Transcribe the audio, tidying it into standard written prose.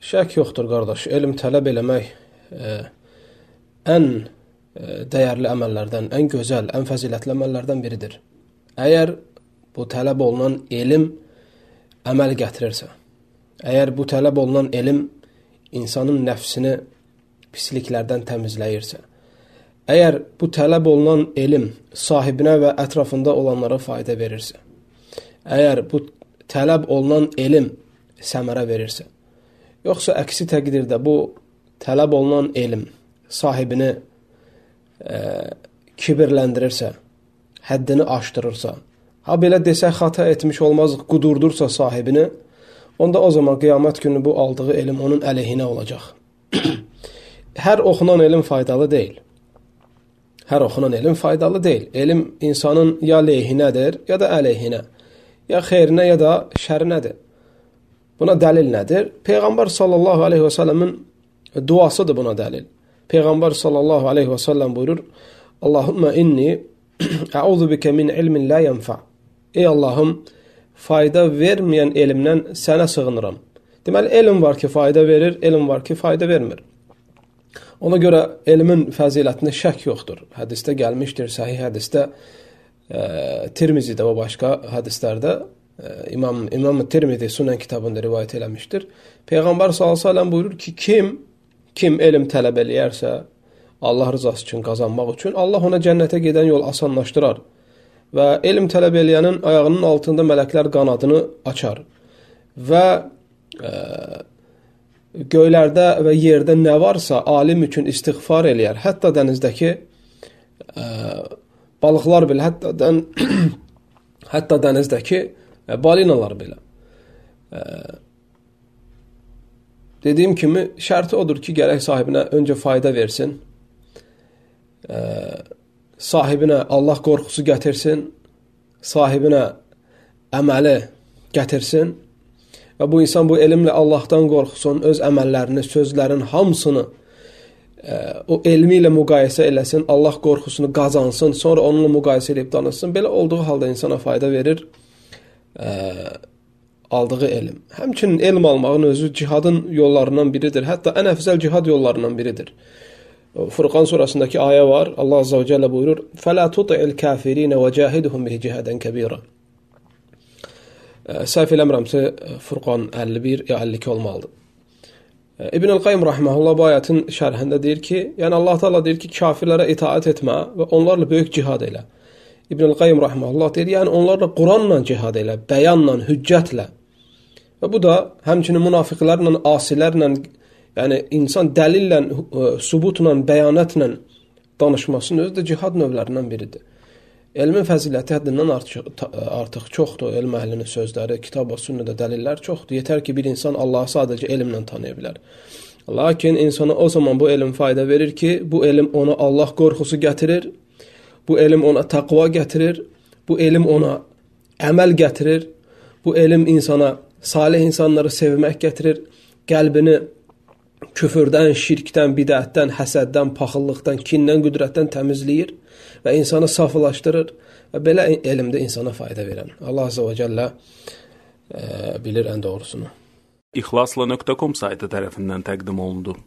Şək yoxdur, qardaş. Elm tələb eləmək ən dəyərli əməllərdən, ən gözəl, ən fəzilətli əməllərdən biridir. Əgər bu tələb olunan elm əməl gətirirsə, əgər bu tələb olunan elm insanın nəfsini pisliklərdən təmizləyirsə, əgər bu tələb olunan elm sahibinə və ətrafında olanlara fayda verirsə, əgər bu tələb olunan elm səmərə verirsə, yoxsa əksi təqdirdə bu tələb olunan elm sahibini kibirləndirirsə, həddini aşdırırsa, ha belə desək xata etmiş olmaz, qudurdursa sahibini, onda o zaman qiyamət günü bu aldığı elm onun əleyhinə olacaq. Hər oxunan elm faydalı deyil. Hər oxunan elm faydalı deyil. Elm insanın ya leyhinədir, ya da əleyhinə. Ya xeyrinə, ya da şərinədir. Buna dəlil nədir? Peyğəmbər sallallahu aleyhi və səlləmin duasıdır buna dəlil. Peyğəmbər sallallahu aleyhi və səlləm buyurur, Allahümmə inni əuzu bikə min ilmin la yənfə. Ey Allahım, fayda verməyən elmdən sənə sığınıram. Deməli, elm var ki, fayda verir, elm var ki, fayda vermir. Ona görə elmin fəzilətində şək yoxdur. Hədisdə gəlmişdir, səhih hədisdə, Tirmizidə və başqa hədislərdə İmam Tirmizi Sunan kitabında rivayət eləmişdir. Peyğəmbər s.ə.v buyurur ki, kim elm tələb eləyərsə, Allah rızası üçün qazanmaq üçün, Allah ona cənnətə gedən yol asanlaşdırar. Və elm tələb eləyənin ayağının altında mələklər qanadını açar. Və göylərdə və yerdə nə varsa alim üçün istiğfar eləyər. Hətta dənizdəki balıqlar belə, hətta dənizdəki balinalar belə. Dediyim kimi, şərti odur ki, gərək sahibinə öncə fayda versin, sahibinə Allah qorxusu gətirsin, sahibinə əməli gətirsin və bu insan bu elmlə Allahdan qorxusun, öz əməllərini, sözlərin hamısını o elmi ilə müqayisə eləsin, Allah qorxusunu qazansın, sonra onunla müqayisə edib danışsın. Belə olduğu halda insana fayda verir aldığı elm. Həmçinin elm almağın özü cihadın yollarından biridir. Hətta ən əfzəl cihad yollarından biridir. Furqan surasındakı ayə var. Allah Azza və Cəllə buyurur, فَلَا تُطِعِ الْكَافِرِينَ وَجَاهِدُهُمْ بِهِ جِهَادًا كَبِيرًا. Səhv eləmirəmsə Furqan 51 ya 52 olmalıdır. İbn-i Qayyim rahimehullah bu ayətin şərhində deyir ki, yəni Allah Teala deyir ki, kafirlərə itaat etmə və onlarla böyük cihad elə. İbn-i Qayyim rahimehullah deyir, yəni onlarla Quranla cihad elə, bəyanla, hüccətlə. Və bu da həmçinin münafiqlərlə, asilərlə, yəni insan dəlillə, sübutla, bəyanətlə danışmasının özü də cihad növlərindən biridir. Elmin fəziləti həddindən artıq çoxdur. Elm əhlinin sözləri, kitab və sünnədə dəlillər çoxdur. Yetər ki, bir insan Allahı sadəcə elmlə tanıya bilər. Lakin insana o zaman bu elm fayda verir ki, bu elm ona Allah qorxusu gətirir, bu elm ona təqva gətirir, bu elm ona əməl gətirir, bu elm insana salih insanları sevmək gətirir, qəlbini küfürdən, şirkdən, bidətdən, həsəddən, paxıllıqdan, kindən, qüdrətdən təmizləyir və insanı saflaşdırır və belə elmdə insana fayda verən. Allah Azza və Cəllə bilir ən doğrusunu. İxlasla.com saytı tərəfindən təqdim olundu.